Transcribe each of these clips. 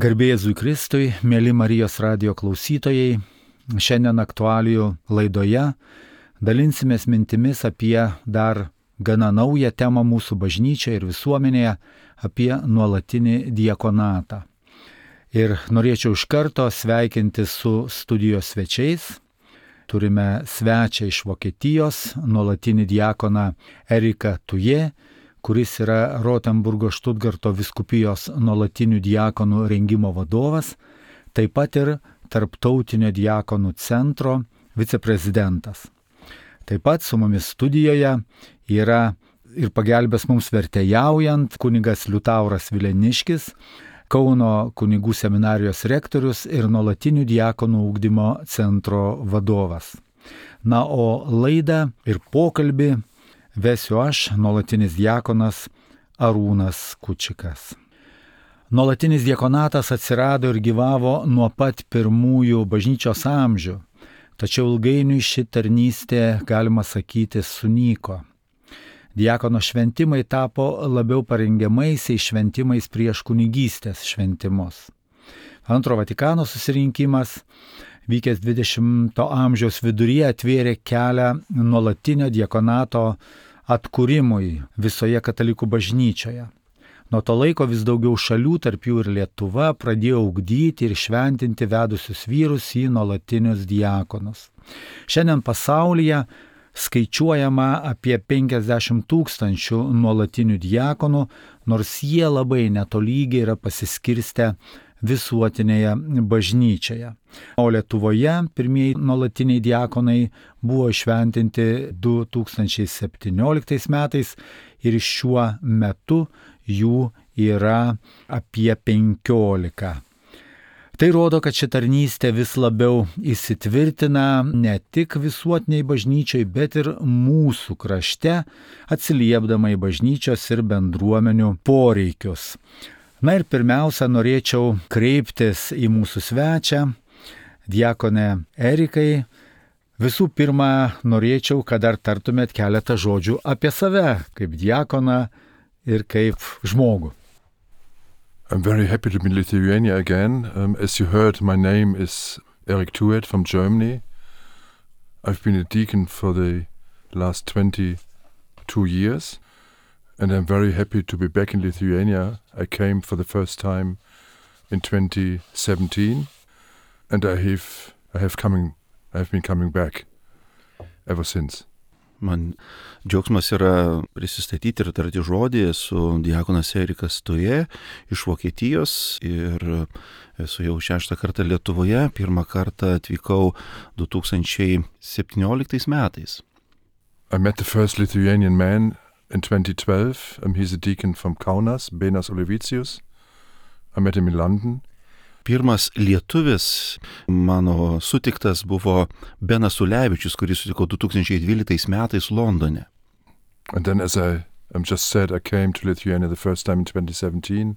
Garbė Jėzui Kristui, mėly Marijos radijo klausytojai, šiandien aktualijų laidoje dalinsimės mintimis apie dar gana naują temą mūsų bažnyčioje ir visuomenėje, apie nuolatinį diakonatą. Ir norėčiau iš karto sveikinti su studijos svečiais. Turime svečią iš Vokietijos, nuolatinį diakoną Eriką Tuje, kuris yra Rotenburgo Štutgarto vyskupijos nuolatinių diakonų rengimo vadovas, taip pat ir Tarptautinio diakonų centro viceprezidentas. Taip pat su mumis studijoje yra ir pagelbės mums vertėjaujant kunigas Liutauras Vileniškis, Kauno kunigų seminarijos rektorius ir nuolatinių diakonų ugdymo centro vadovas. Na, o laidą ir pokalbį vesiu aš, nuolatinis diakonas Arūnas Kučikas. Nuolatinis diakonatas atsirado ir gyvavo nuo pat pirmųjų bažnyčios amžių, tačiau ilgainiui ši tarnystė, galima sakyti, sunyko. Diakono šventimai tapo labiau parengiamaisiais šventimais prieš kunigystės šventimus. Antro Vatikano susirinkimas, vykęs 20 amžiaus viduryje, atvėrė kelią nuolatinio diakonato atkūrimui visoje katalikų bažnyčioje. Nuo to laiko vis daugiau šalių, tarp jų ir Lietuva, pradėjo ugdyti ir šventinti vedusius vyrus į nuolatinius diakonus. Šiandien pasaulyje skaičiuojama apie 50 000 nuolatinių diakonų, nors jie labai netolygiai yra pasiskirstę visuotinėje bažnyčioje. O Lietuvoje pirmieji nuolatiniai diakonai buvo įšventinti 2017 metais ir šiuo metu jų yra apie 15. Tai rodo, kad ši tarnystė vis labiau įsitvirtina ne tik visuotiniai bažnyčiai, bet ir mūsų krašte, atsiliepdama į bažnyčios ir bendruomenių poreikius. Na ir pirmiausia, norėčiau kreiptis į mūsų svečią, diakonę Erikai. Visų pirma, norėčiau, kad dar tartumėt keletą žodžių apie save, kaip diakoną ir kaip žmogų. I'm very happy to be in Lithuania again. As you heard, my name is Erik Tuet from Germany. I've been a deacon for the last 22 years, and I'm very happy to be back in Lithuania. I came for the first time in 2017, and I have been coming back ever since. Man džiaugsmas yra prisistatyti ir tarti žodį. Esu diakonas Erikas Tuje iš Vokietijos ir esu jau 6 kartą Lietuvoje. 1 kartą atvykau 2017 metais. I met the first Lithuanian man in 2012. He's a deacon from Kaunas, Benas Olevicius. I met him in London. Pirmas lietuvis mano sutiktas buvo Benas Ulevičius, kurį sutikau 2012 metais Londone. And then, as I just said, I came to Lithuania the first time in 2017,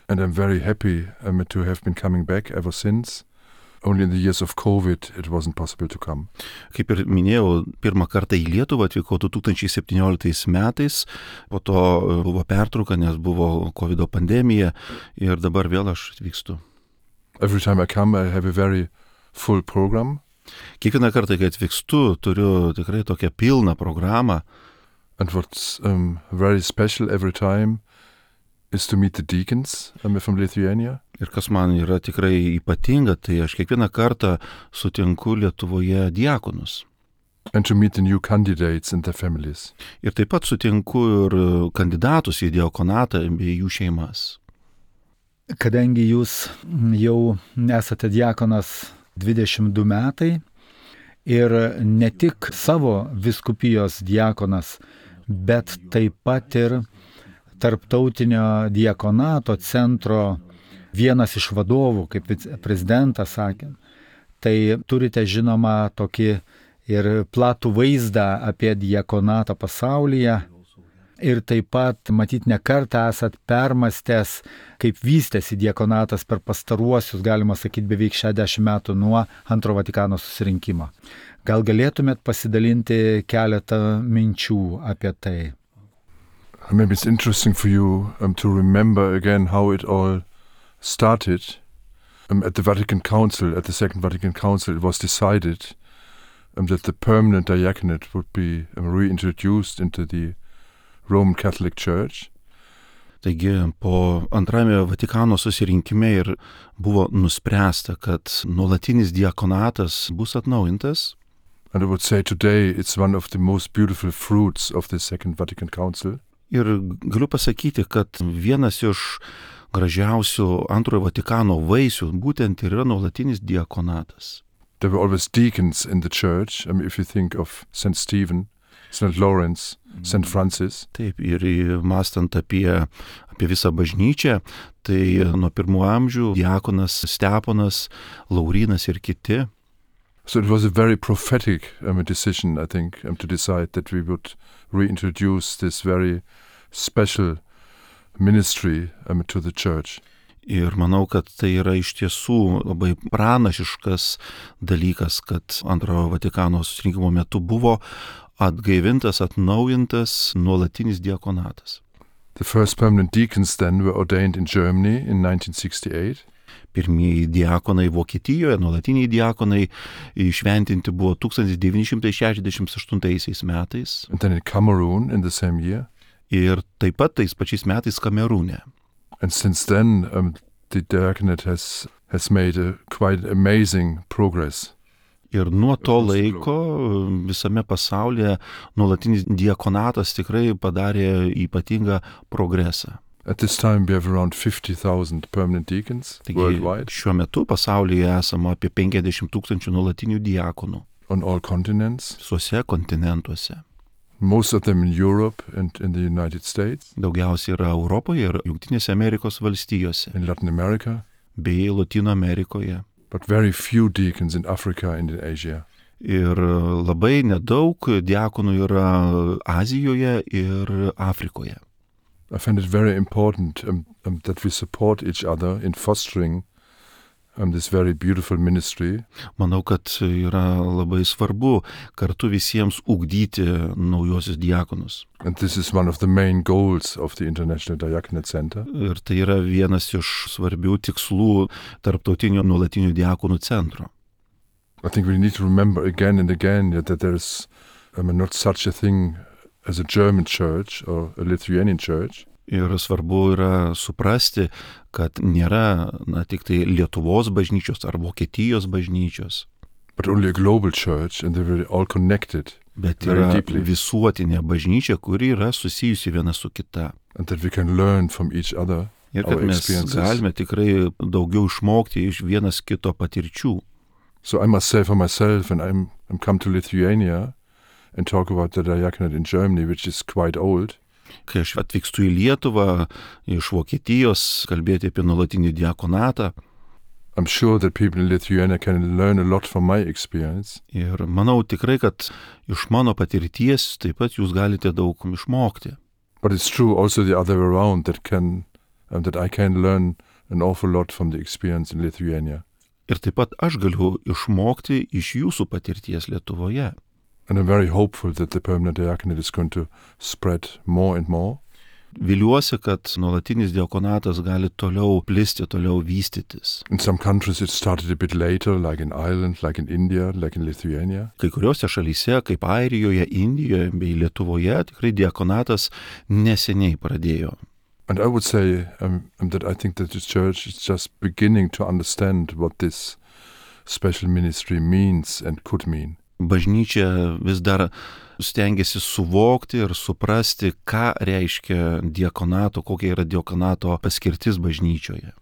and I'm very happy to have been coming back ever since. Only in the years of COVID it wasn't possible to come. Kaip ir minėjau, 1 kartą į Lietuvą atvykau 2017 metais, po to buvo pertrauka, nes buvo COVID pandemija ir dabar vėl aš atvykstu. Every time I come, I have a very full program. Kiekvieną kartą, kai atvykstu, turiu tikrai tokią pilną programą. And what's very special every time is to meet the deacons from Lithuania. Ir kas man yra tikrai ypatinga, tai aš kiekvieną kartą sutinku Lietuvoje diakonus. And to meet the new candidates and their families. Ir taip pat sutinku ir kandidatus į diakonatą bei jų šeimas. Kadangi jūs jau esate diakonas 22 metai ir ne tik savo vyskupijos diakonas, bet taip pat ir Tarptautinio diakonato centro vienas iš vadovų, kaip prezidentas sakė, tai turite žinoma tokį ir platų vaizdą apie diakonatą pasaulyje. Ir taip pat, matyt, ne kartą esat permastęs, kaip vystėsi diakonatas per pastaruosius, galima sakyti, beveik 60 metų nuo Antro Vatikano susirinkimo. Gal galėtumėt pasidalinti keletą minčių apie tai? Maybe it's interesting for you to remember again how it all started, at the Vatican Council, at the Second Vatican Council, it was decided that the permanent diaconate would be reintroduced into the Roman Catholic Church. Taigi po antrame Vatikano susirinkime ir buvo nuspręsta, kad nuolatinis diakonatas bus atnaujintas. And I would say today it's one of the most beautiful fruits of the Second Vatican Council. Ir galiu pasakyti, kad vienas iš gražiausių antrojo Vatikano vaisių būtent yra nuolatinis diakonatas. There were always deacons in the church. If you think of St. Stephen, St. Lawrence, St. Francis. Taip, ir mąstant apie visą bažnyčią, tai nuo pirmų amžių diakonas Steponas, Laurynas ir kiti. So it was a very prophetic decision, I think, to decide that we would reintroduce this very special ministry to the church. Ir manau, kad tai yra iš tiesų labai pranašiškas dalykas, kad antrojo Vatikano susirinkimo metu buvo atgaivintas, atnaujintas nuolatinis diakonatas. The first permanent deacons then were ordained in Germany in 1968. Pirmieji diakonai Vokietijoje, nuolatiniai diakonai įšventinti buvo 1968 metais. And then in Cameroon in the same year. Ir taip pat tais pačiais metais Kamerūne. And since then the diaconate has made a quite amazing progress. Ir nuo to laiko visame pasaulyje nuolatinis diakonatas tikrai padarė ypatingą progresą. At this time we have around 50,000 permanent deacons worldwide. Šiuo metu pasaulyje esama apie 50,000 nuolatinių diakonų. On all continents. Visuose kontinentuose. Most of them in Europe and in the United States. Daugiausiai yra Europoje ir Jungtinėse Amerikos valstijose. In Latin America. Bei Lotynų Amerikoje. But very few deacons in Africa and in Asia. Ir labai nedaug diakonų yra Azijoje ir Afrikoje. I find it very important that we support each other in fostering this very beautiful ministry. Manau, kad yra labai svarbu kartu visiems ugdyti naujosius diakonus. And this is one of the main goals of the International Diaconate Center. Ir tai yra vienas iš svarbių tikslų tarptautinio nuolatinių diakonų centro. I think we need to remember again and again that there is not such a thing as a German church or a Lithuanian church. Ir svarbu yra suprasti, kad nėra tik tai Lietuvos bažnyčios ar Vokietijos bažnyčios. But only a global church and they're all connected. Bet yra visuotinė bažnyčia, kuri yra susijusi viena su kita. And that we can learn from each other. Ir kad mes galime tikrai daugiau išmokti iš vienas kito patirčių. So I must say for myself, when I'm come to Lithuania and talk about the diaconate in Germany, which is quite old. Kai aš atvykstu į Lietuvą iš Vokietijos kalbėti apie nuolatinį diakonatą. I'm sure that people in Lithuania can learn a lot from my experience. Ir manau tikrai, kad iš mano patirties taip pat jūs galite daug išmokti. But it's true also the other way around that I can learn an awful lot from the experience in Lithuania. Ir taip pat aš galiu išmokti iš jūsų patirties Lietuvoje. And I'm very hopeful that the permanent diaconate is going to spread more and more. Viliuosi, kad nuolatinis diakonatas gali toliau plisti, toliau vystytis. In some countries it started a bit later, like in Ireland, like in India, like in Lithuania. Kai kuriuose šalyse, kaip Airijoje, Indijoje bei Lietuvoje, tikrai diakonatas neseniai pradėjo. And I would say that I think that the church is just beginning to understand what this special ministry means and could mean. Bažnyčia vis dar stengiasi suvokti ir suprasti, ką reiškia diakonato, kokia yra diakonato paskirtis bažnyčioje.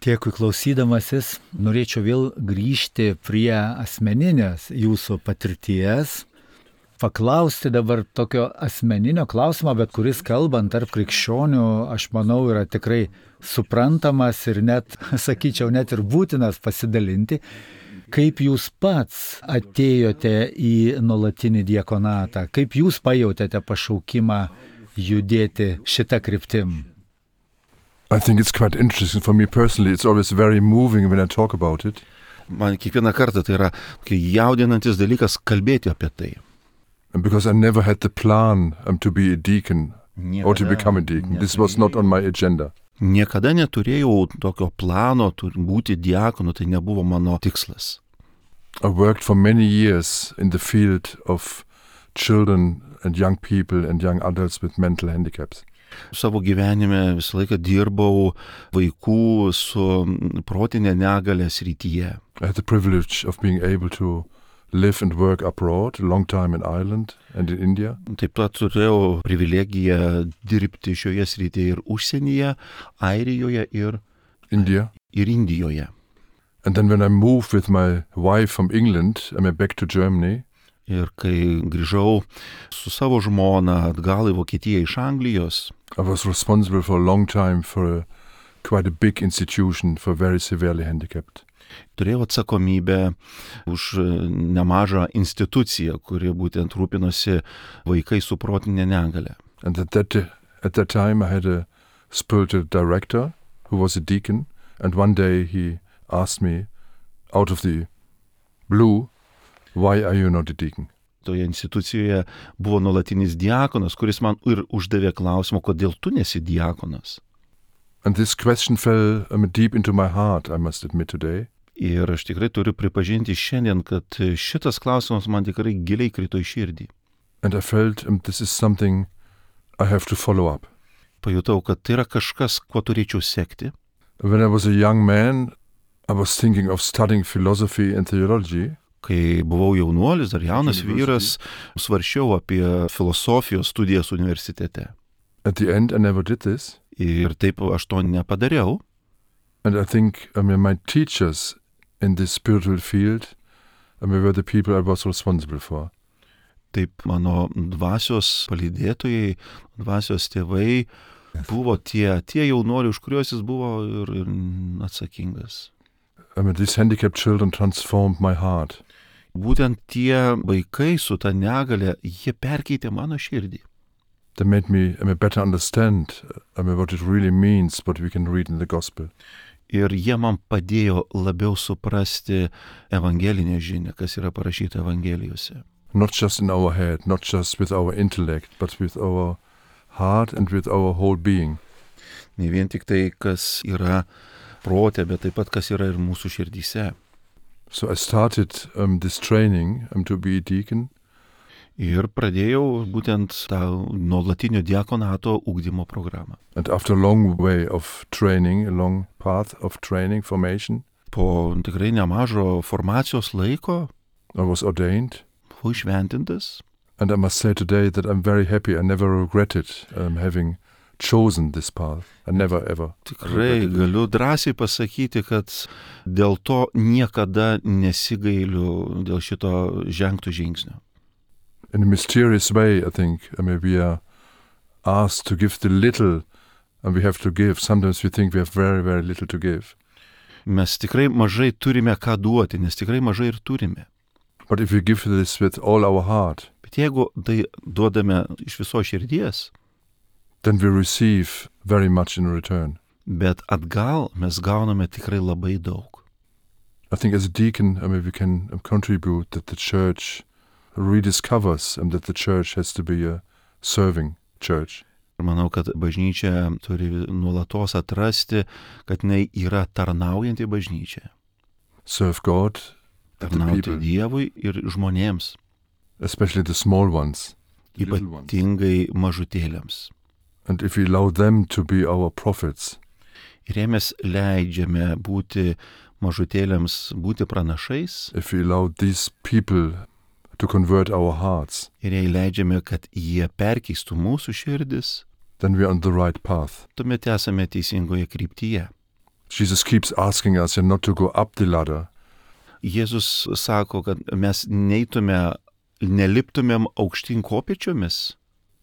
Dėkui klausydamasis, norėčiau vėl grįžti prie asmeninės jūsų patirties, paklausti dabar tokio asmeninio klausimo, bet kuris kalbant tarp krikščionių, aš manau, yra tikrai suprantamas ir net, sakyčiau, net ir būtinas pasidalinti. Kaip jūs pats atėjote į nuolatinį diakonatą? Kaip jūs pajautėte pašaukimą judėti šitą kryptim? I think it's quite interesting for me personally. It's always very moving when I talk about it. Man kiekvieną kartą tai yra jaudinantis dalykas kalbėti apie tai. And because I never had the plan to be a deacon or to become a deacon. This was not on my agenda. Niekada neturėjau tokio plano būti diakonu, tai nebuvo mano tikslas. I worked for many years in the field of children and young people and young adults with mental handicaps. Savo gyvenime visą laiką dirbau vaikų su protinė negalia srityje. I had the privilege of being able to live and work abroad a long time in Ireland and in India. Taip pat turėjau privilegiją dirbti šioje srityje ir užsienyje, Airijoje ir Indijoje. And then when I moved with my wife from England, I went back to Germany. Ir kai grįžau su savo žmona atgal į Vokietiją iš Anglijos, I was responsible for a long time for quite a big institution for very severely handicapped. turėjau atsakomybę už nemažą instituciją, kuri būtent rūpinosi vaikai su protinė negalia. And at that time I had a spiritual director who was a deacon, and one day he asked me out of the blue, why are you not a deacon? Toje institucijoje buvo nuolatinis diakonas, kuris man ir uždavė klausimą, kodėl tu nesi diakonas. And this question fell deep into my heart, I must admit today. Ir aš tikrai turiu pripažinti šiandien, kad šitas klausimas man tikrai giliai krito į širdį. And I felt this is something I have to follow up. Pajutau, kad tai yra kažkas, kuo turėčiau sekti. When I was a young man, I was thinking of studying philosophy and theology. Kai buvau jaunuolis, dar jaunas vyras, svarsčiau apie filosofijos studijas universitete. At the end, I never did this. Ir taip aš to nepadariau. And I think my teachers in this spiritual field were the people I was responsible for. Taip mano dvasios palydėtojai, dvasios tėvai buvo tie jaunuoliai, už kuriuos jis buvo ir atsakingas. These handicapped children transformed my heart. Būtent tie vaikai su ta negalia, jie perkeitė mano širdį. They made me better understand what it really means, what we can read in the gospel. Ir jie man padėjo labiau suprasti evangelinę žinią, kas yra parašyta evangelijose. Not just in our head, not just with our intellect, but with our heart and with our whole being. Ne vien tik tai, kas yra prote, bet taip pat, kas yra ir mūsų širdyse. So I started this training to be a deacon. Ir pradėjau būtent tą nuolatinio diakonato ugdymo programą. And after a long way of training, a long path of training, formation, po tikrai nemažo formacijos laiko, I was ordained. Buvau išventintas. And I must say today that I'm very happy. I never regretted having chosen this path. I never ever. Tikrai galiu drąsiai pasakyti, kad dėl to niekada nesigailiu dėl šito žengto žingsnio. In a mysterious way, I think, we are asked to give the little, and we have to give. Sometimes we think we have very, very little to give. Mes tikrai mažai turime ką duoti, nes tikrai mažai ir turime. But if we give this with all our heart, bet jeigu tai duodame iš viso širdies, then we receive very much in return. Bet atgal mes gauname tikrai labai daug. I think as a deacon, we can contribute that the church rediscovers that the church has to be a serving church. Ir manau, kad bažnyčia turi nuolatos atrasti, kad jinai yra tarnaujanti bažnyčia. Serve God, tarnauti Dievui ir žmonėms. Especially the small ones. Ypatingai mažutėliams. And if we allow them to be our prophets. Ir jei mes leidžiame būti mažutėliams, būti pranašais. If we allow these people to convert our hearts. Ir jei leidžiame, kad jie perkeistų mūsų širdis. Then we are on the right path. Tuomet esame teisingoje kryptyje. Jesus keeps asking us not to go up the ladder. Jėzus sako, kad mes neliptumėm aukštyn kopėčiomis.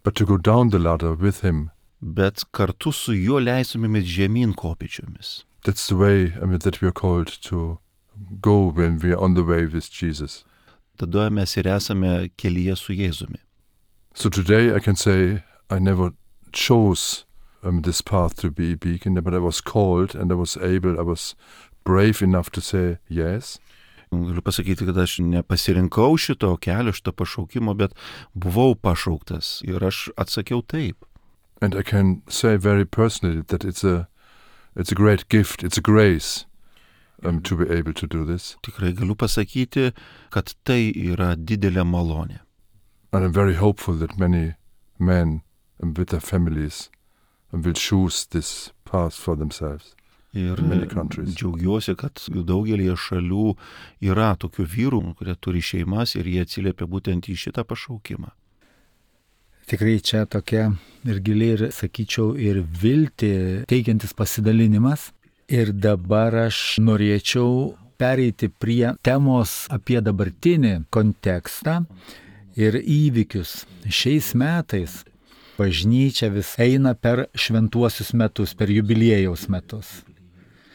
But to go down the ladder with him. Bet kartu su juo leistumėmės žemyn kopėčiomis. That's the way that we are called to go when we are on the way with Jesus. Tada mes ir esame kelyje su Jėzumi. So today I can say I never chose this path to be a beacon, but I was called and I was brave enough to say yes. Galiu pasakyti, kad aš nepasirinkau šito kelio, šito pašaukimo, bet buvau pašauktas ir aš atsakiau taip. And I can say very personally that it's a It's a great gift, it's a grace to be able to do this. Tikrai galiu pasakyti, kad tai yra didelė malonė. And I'm very hopeful that many men with their families will choose this path for themselves. Ir džiaugiuosi, kad daugelį šalių yra tokių vyrų, kurie turi šeimas ir jie atsiliepia būtent į šitą pašaukimą. Tikrai čia tokia ir gili ir, sakyčiau, ir viltį teikiantis pasidalinimas. Ir dabar aš norėčiau pereiti prie temos apie dabartinį kontekstą ir įvykius. Šiais metais bažnyčia vis eina per šventuosius metus, per jubiliejaus metus.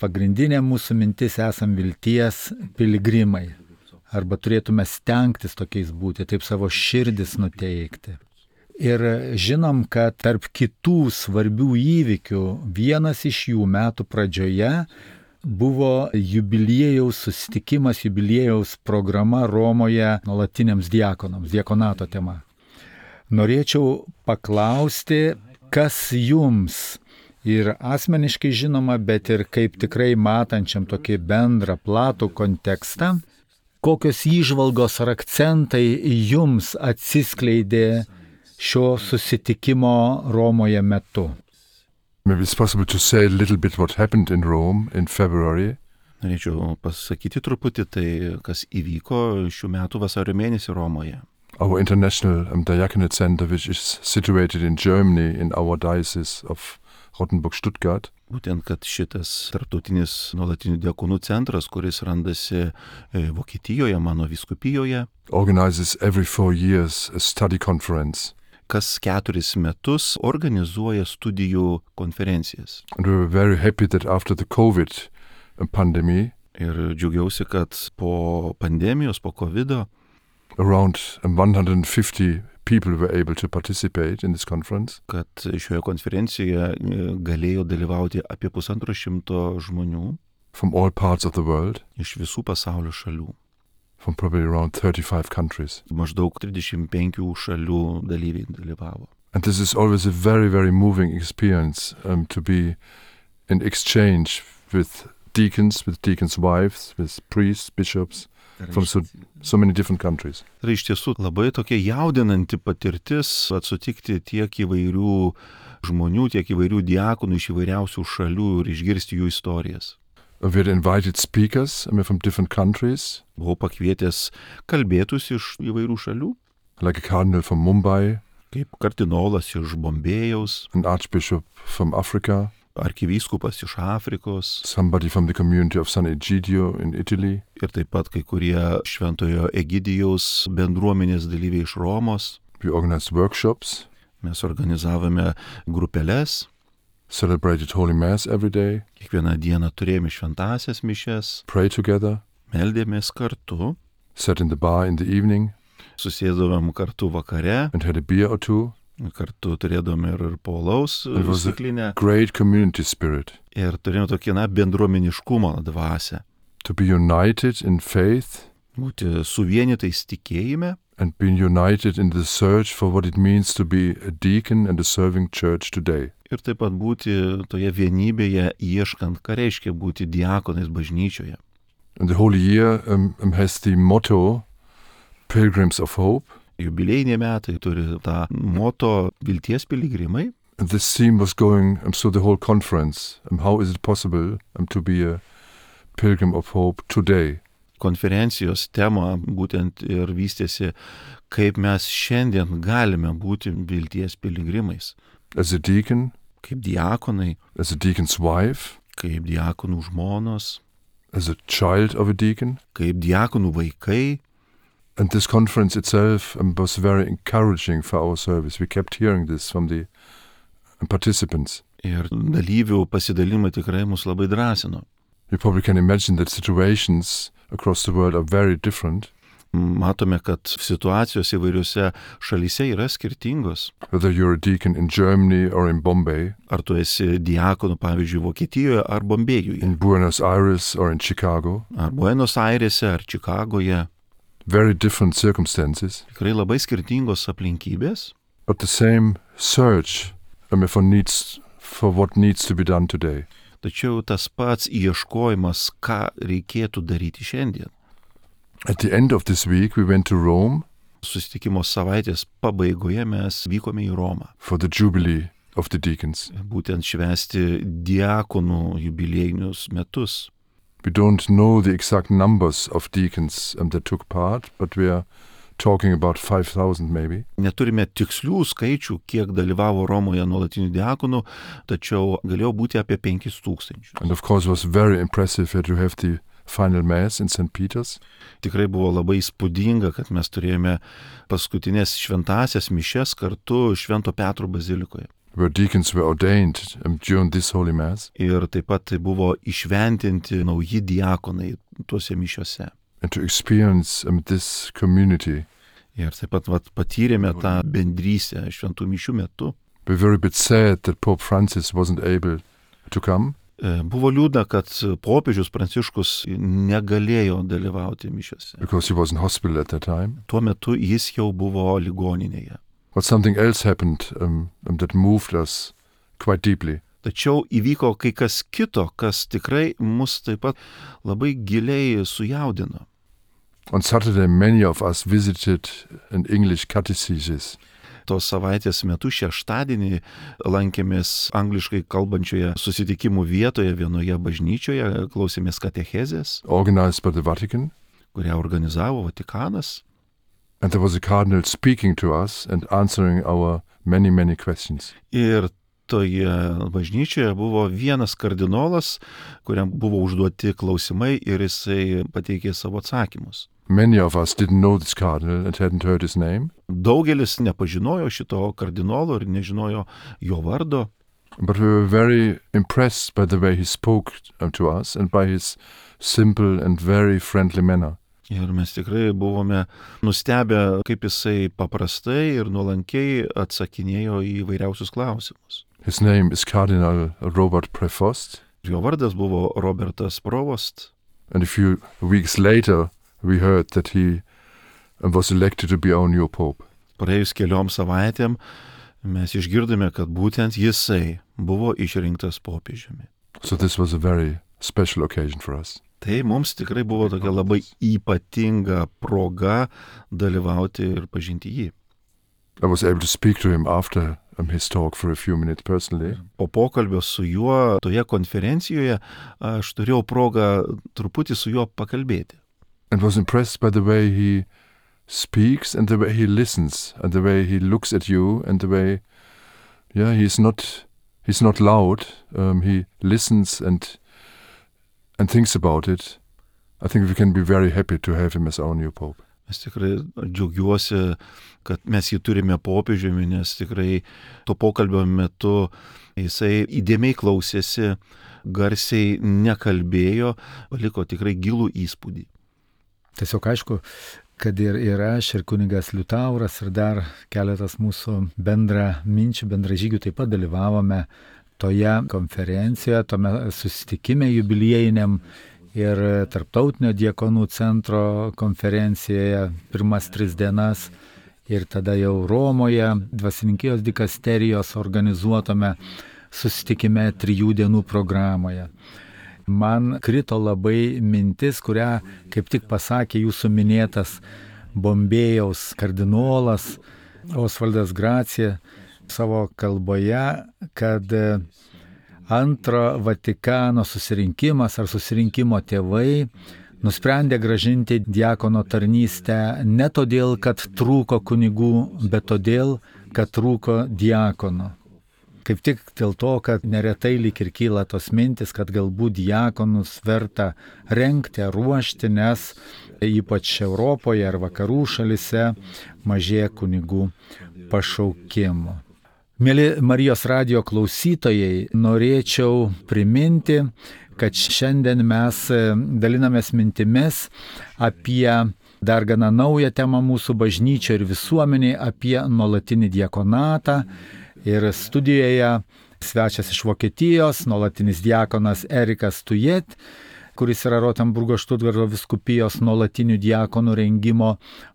Pagrindinė mūsų mintis esam vilties piligrimai. Arba turėtume stengtis tokiais būti, taip savo širdis nuteikti. Ir žinom, kad tarp kitų svarbių įvykių vienas iš jų metų pradžioje buvo jubiliejaus susitikimas, jubiliejaus programa Romoje nuolatiniams diakonams, diakonato tema. Norėčiau paklausti, kas jums ir asmeniškai žinoma, bet ir kaip tikrai matančiam tokį bendrą platų kontekstą, kokios įžvalgos ar akcentai jums atsiskleidė šio susitikimo Romoje metu? Maybe it's possible to say a little bit what happened in Rome in February. Norėčiau pasakyti truputį tai, kas įvyko šių metų vasario mėnesį Romoje. Our international diaconate center, which is situated in Germany in our diocese of Rottenburg-Stuttgart. Būtent, kad šitas tarptautinis nuolatinių diakonų centras, kuris randasi Vokietijoje, mano vyskupijoje, organizes every 4 years a study conference. Kas 4 metus organizuoja studijų konferencijas. And we were very happy that after the COVID pandemic, ir džiaugiausi, kad po pandemijos, po COVID-o, around 150 people were able to participate in this conference. Kad šioje konferencijoje galėjo dalyvauti apie 150 žmonių. From all parts of the world. Iš visų pasaulio šalių. From probably around 35 countries. Maždaug 35 šalių dalyviai dalyvavo. And this is always a very, very moving experience to be in exchange with deacons wives, with priests, bishops, from so many different countries. Tai iš tiesų labai tokia jaudinanti patirtis sutikti tiek įvairių žmonių, tiek įvairių diakonų iš įvairiausių šalių ir išgirsti jų istorijas. We had invited speakers from different countries. Buvau pakvietęs kalbėtus iš įvairių šalių. Like a cardinal from Mumbai. Kaip kardinolas iš Bombėjaus. An archbishop from Africa. Arkivyskupas iš Afrikos. Somebody from the community of San Egidio in Italy. Ir taip pat kai kurie Šventojo Egidijaus bendruomenės dalyviai iš Romos. We organized workshops. Mes organizavome grupeles. Celebrated Holy Mass every day. Kiekvieną dieną turėjome šventąsias mišias. Pray together. Meldėmės kartu. Sat in the bar in the evening. Susėdavome kartu vakare. And had a beer or two. Kartu turėdavome ir polaus stiklinę. Great community spirit. Ir turėjome tokį bendruomeniškumo dvasią. To be united in faith. Būti suvienytais tikėjime. And being united in the search for what it means to be a deacon and a serving church today. Ir taip pat būti toje vienybėje ieškant, ką reiškia būti diakonais bažnyčioje. And the whole year has the motto Pilgrims of Hope. Jubiliejiniai metai turi tą moto vilties piligrimai. And this theme was going through the whole conference. How is it possible to be a pilgrim of hope today? Konferencijos tema būtent ir vystėsi, kaip mes šiandien galime būti vilties piligrimais. As a deacon, kaip diakonai, as a deacon's wife, kaip diakonų žmonos, as a child of a deacon, kaip diakonų vaikai. And this conference itself was very encouraging for our service. We kept hearing this from the participants. Ir dalyvių pasidalimai tikrai mus labai drąsino. You probably can imagine that situations across the world are very different. Matome, kad situacijos įvairiose šalyse yra skirtingos. Whether you're a deacon in Germany or in Bombay. Ar tu esi diakonu, pavyzdžiui, Vokietijoje ar Bombėjuje. In Buenos Aires or in Chicago. Ar Buenos Airese ar Čikagoje. Very different circumstances. Tikrai labai skirtingos aplinkybės. But the same search for what needs to be done today. tačiau tas pats ieškojimas, ką reikėtų daryti šiandien. At the end of this week, we went to Rome Susitikimo savaitės pabaigoje mes vykome į Romą. for the Jubilee of the deacons. Būtent švęsti diakonų jubiliejinius metus. We don't know the exact numbers of deacons that took part, but we are talking about 5,000 maybe. Neturime tikslių skaičių, kiek dalyvavo Romoje nuolatinių diakonų, tačiau galėjo būti apie 5,000. And of course it was very impressive to have the final mass in St. Peter's. Tikrai buvo labai įspūdinga, kad mes turėjome paskutinės šventasias mišias kartu Švento Petro bazilikoje. Where deacons were ordained during this Holy Mass, Ir taip pat tai buvo išventinti nauji diakonai tuose mišiuose. and to experience this community. Ir taip pat patyrėme tą bendrystę šventų mišių metu. We're very bit sad that Pope Francis wasn't able to come, Buvo liūdna, kad popiežius Pranciškus negalėjo dalyvauti mišiuose. because he was in hospital at that time. Tuo metu jis jau buvo ligoninėje. But something else happened that moved us quite deeply. Tačiau įvyko kai kas kito, kas tikrai mus taip pat labai giliai sujaudino. On Saturday, many of us visited an English catechesis. Tos savaitės metu šeštadienį lankėmės angliškai kalbančioje susitikimų vietoje vienoje bažnyčioje, klausėmės katechezės, Organized by the Vatican, kurią organizavo Vatikanas. and there was a cardinal speaking to us and answering our many, many questions. Ir toje bažnyčioje buvo vienas kardinolas, kuriam buvo užduoti klausimai ir jisai pateikė savo atsakymus. Many of us didn't know this cardinal and hadn't heard his name, Daugelis nepažinojo šito kardinolo ir nežinojo jo vardo, but we were very impressed by the way he spoke to us and by his simple and very friendly manner. ir mes tikrai buvome nustebę, kaip jisai paprastai ir nuolankiai atsakinėjo į įvairiausius klausimus. His name is Cardinal Robert Prevost, Jo vardas buvo Robertas Provost. and a few weeks later we heard that he was elected to be our new pope. Praėjus keliom savaitėm mes išgirdome, kad būtent jisai buvo išrinktas popiežiumi. So this was a very special occasion for us. Tai mums tikrai buvo tokia labai ypatinga proga dalyvauti ir pažinti jį. I was able to speak to him after his talk for a few minutes personally. Po pokalbio su juo toje konferencijoje aš turėjau progą truputį su juo pakalbėti. And was impressed by the way he speaks and the way he listens and the way he looks at you and the way, he's not loud. He listens and thinks about it. I think we can be very happy to have him as our new pope. Mes tikrai džiaugiuosi, kad mes jį turime popiežiumi, nes tikrai to pokalbio metu jisai įdėmiai klausėsi, garsiai nekalbėjo, paliko tikrai gilų įspūdį. Tiesiog aišku, kad ir aš, ir kunigas Liutauras, ir dar keletas mūsų bendražygių taip pat dalyvavome toje konferencijoje, tome susitikime jubiliejiniam ir Tarptautinio diakonų centro konferencijoje pirmas 3 dienas ir tada jau Romoje dvasininkijos dikasterijos organizuotame susitikime 3 dienų programoje. Man krito labai mintis, kurią kaip tik pasakė jūsų minėtas Bombėjaus kardinolas Osvaldas Gracija savo kalboje, kad antro Vatikano susirinkimas ar susirinkimo tėvai nusprendė gražinti diakono tarnystę ne todėl, kad trūko kunigų, bet todėl, kad trūko diakono. Kaip tik dėl to, kad neretai lyg ir kyla tos mintis, kad galbūt diakonus verta rengti, ruošti, nes ypač Europoje ar vakarų šalise mažėja kunigų pašaukimų. Mėly Marijos radijo klausytojai, norėčiau priminti, kad šiandien mes dalinamės mintimis apie dar gana naują temą mūsų bažnyčio ir visuomeniai, apie nuolatinį diakonatą. Ir studijoje svečias iš Vokietijos, nuolatinis diakonas Erikas Tujet, kuris yra Rotenburgo Štutgarto vyskupijos nuolatinių diakonų rengimo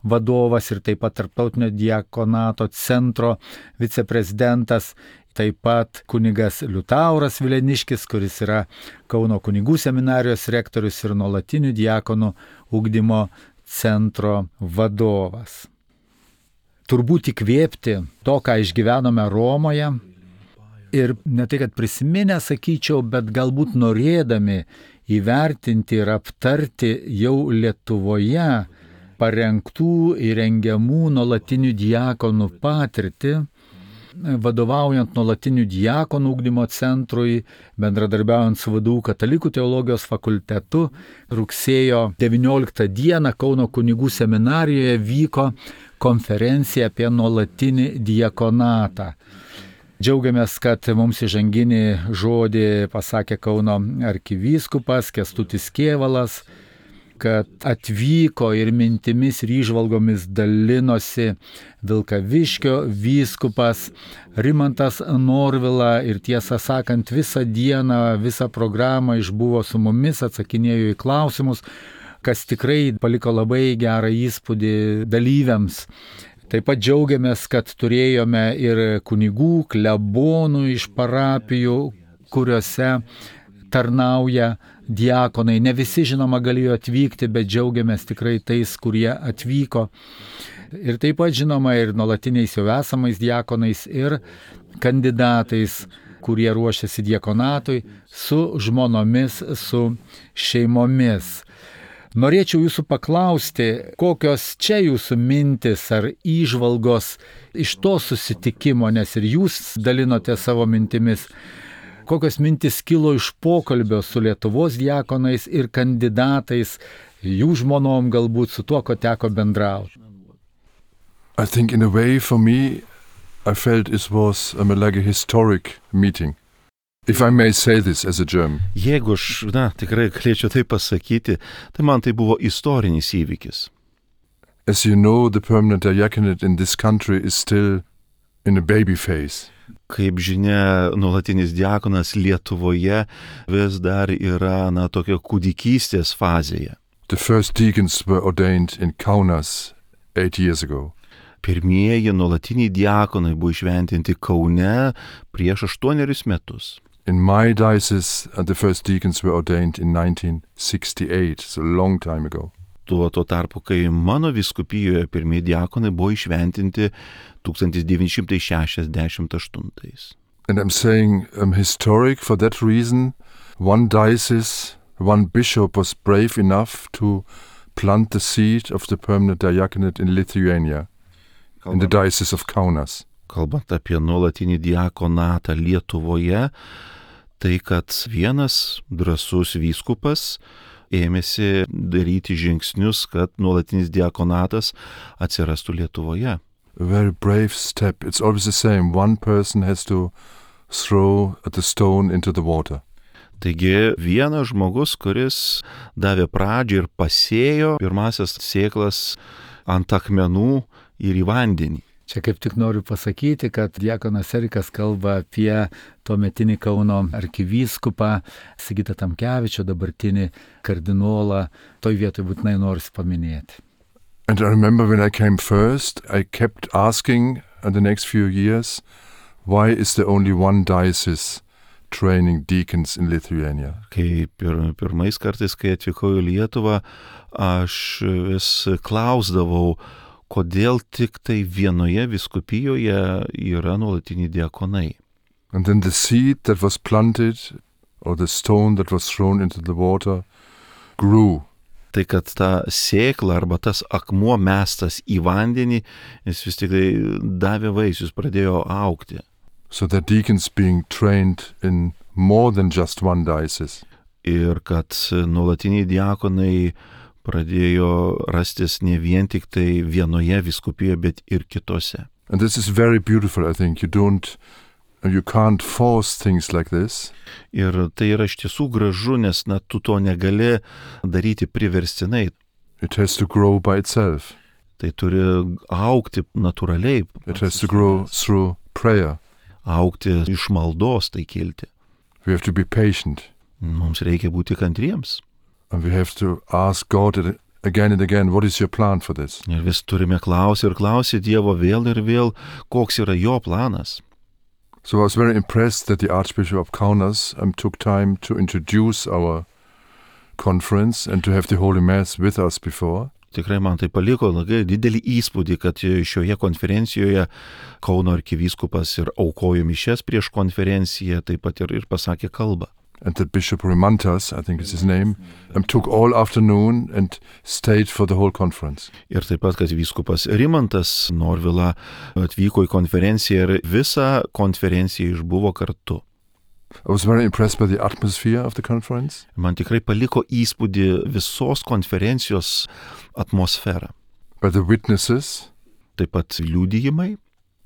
vadovas ir taip pat Tarptautinio diakonato centro viceprezidentas. taip pat kunigas Liutauras Vileniškis, kuris yra Kauno kunigų seminarijos rektorius ir nuolatinių diakonų ugdymo centro vadovas. Turbūt įkvėpti to, ką išgyvenome Romoje ir ne tai, kad prisiminę, sakyčiau, bet galbūt norėdami įvertinti ir aptarti jau Lietuvoje parengtų įrengiamų nuolatinių diakonų patirtį, vadovaujant nuolatinių diakonų ugdymo centrui, bendradarbiaujant su VDU Katalikų teologijos fakultetu, rugsėjo 19 dieną Kauno kunigų seminarijoje vyko konferencija apie nuolatinį diakonatą. Džiaugiamės, kad mums įžanginį žodį pasakė Kauno arkivyskupas Kęstutis Kėvalas, kad atvyko ir mintimis ir įžvalgomis dalinosi Vilkaviškio vyskupas Rimantas Norvila ir tiesą sakant visą dieną, visą programą išbuvo su mumis, atsakinėjo į klausimus, kas tikrai paliko labai gerą įspūdį dalyviams. Taip pat džiaugiamės, kad turėjome ir kunigų, klebonų iš parapijų, kuriuose tarnauja diakonai. Ne visi, žinoma, galėjo atvykti, bet džiaugiamės tikrai tais, kurie atvyko. Ir taip pat, žinoma, ir nuolatiniais jau esamais diakonais ir kandidatais, kurie ruošiasi diakonatui, su žmonomis, su šeimomis. Norėčiau jūsų paklausti, kokios čia jūsų mintis ar įžvalgos iš to susitikimo, nes ir jūs dalinote savo mintimis, kokios mintis kilo iš pokalbio su Lietuvos diakonais ir kandidatais, jų žmonom galbūt su tuo, ko teko bendrauti. I think in a way for me, I felt it was like a historic meeting. If I may say this as a German. Jeigu aš, tikrai galėčiau tai pasakyti, tai man tai buvo istorinis įvykis. As you know, the permanent diaconate in this country is still in a baby phase. Kaip žinia, nuolatinis diakonas Lietuvoje vis dar yra, tokio kūdikystės fazėje. The first deacons were ordained in Kaunas 8 years ago. Pirmieji nuolatiniai diakonai buvo išventinti Kaune prieš 8 metus. In my diocese, the first deacons were ordained in 1968, so a long time ago. Tuo tarpu, kai mano vyskupijoje pirmieji diakonai buvo išventinti 1968. And I'm saying historic for that reason. One diocese, one bishop was brave enough to plant the seed of the permanent diaconate in Lithuania, in the diocese of Kaunas. Kalbant apie nuolatinį diakonatą Lietuvoje, tai kad vienas drąsus vyskupas ėmėsi daryti žingsnius, kad nuolatinis diakonatas atsirastų Lietuvoje. A very brave step. It's always the same. One person has to throw the stone into the water. Taigi vienas žmogus, kuris davė pradžią ir pasėjo pirmasias sėklas ant akmenų ir į vandenį. Čia kaip tik noriu pasakyti, kad diakonas Erikas kalba apie tuometinį Kauno arkivyskupą Sigitą Tamkevičių, dabartinį kardinolą. Toj vietoj būtinai noriu paminėti. And I remember when I came first, I kept asking in the next few years, why is there only one diocese training deacons in Lithuania? Kai pirmais kartais, kai atvykau į Lietuvą, aš vis klausdavau, kodėl tik tai vienoje vyskupijoje yra nuolatiniai diakonai. And then the seed that was planted, or the stone that was thrown into the water, grew. Tai kad ta sėkla arba tas akmuo mestas į vandenį, jis vis tik tai davė vaisius, pradėjo augti. So that deacons being trained in more than just one diocese. Ir kad nuolatiniai diakonai pradėjo rastis ne vien tik tai vienoje vyskupijoje, bet ir kitose. And this is very beautiful, I think. You can't force things like this. Ir tai yra iš tiesų gražu, nes tu to negali daryti priverstinai. It has to grow by itself. Tai turi augti natūraliai. It has to grow through prayer. Augti iš maldos tai kilti. We have to be patient. Mums reikia būti kantriems. And we have to ask God again and again, what is your plan for this? Ir vis turime klausyti Dievo vėl ir vėl, koks yra jo planas. So I was very impressed that the Archbishop of Kaunas took time to introduce our conference and to have the Holy Mass with us before. Tikrai man tai paliko labai didelį įspūdį, kad šioje konferencijoje Kauno arkivyskupas ir aukojo mišias prieš konferenciją, taip pat ir pasakė kalbą. And that Bishop Rimantas, I think is his name, took all afternoon and stayed for the whole conference. Ir taip pat, kad vyskupas Rimantas Norvila atvyko į konferenciją ir visą konferenciją išbuvo kartu. I was very impressed by the atmosphere of the conference. Man tikrai paliko įspūdį visos konferencijos atmosferą. By the witnesses. Taip pat liudijimai.